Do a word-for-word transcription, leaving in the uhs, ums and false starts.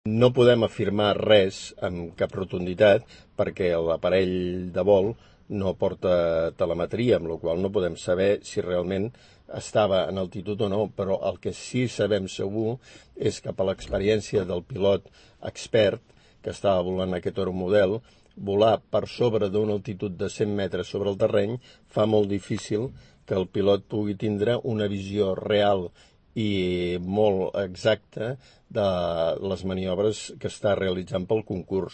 No podem afirmar res amb cap rotunditat perquè l'aparell de vol no porta telemetria, amb la qual no podem saber si realment estava en altitud o no, però el que sí sabem segur és que per l'experiència del pilot expert que estava volant aquest Euromodel, volar per sobre d'una altitud de cent metres sobre el terreny fa molt difícil que el pilot pugui tindre una visió real i molt exacta de les maniobres que està realitzant pel concurs.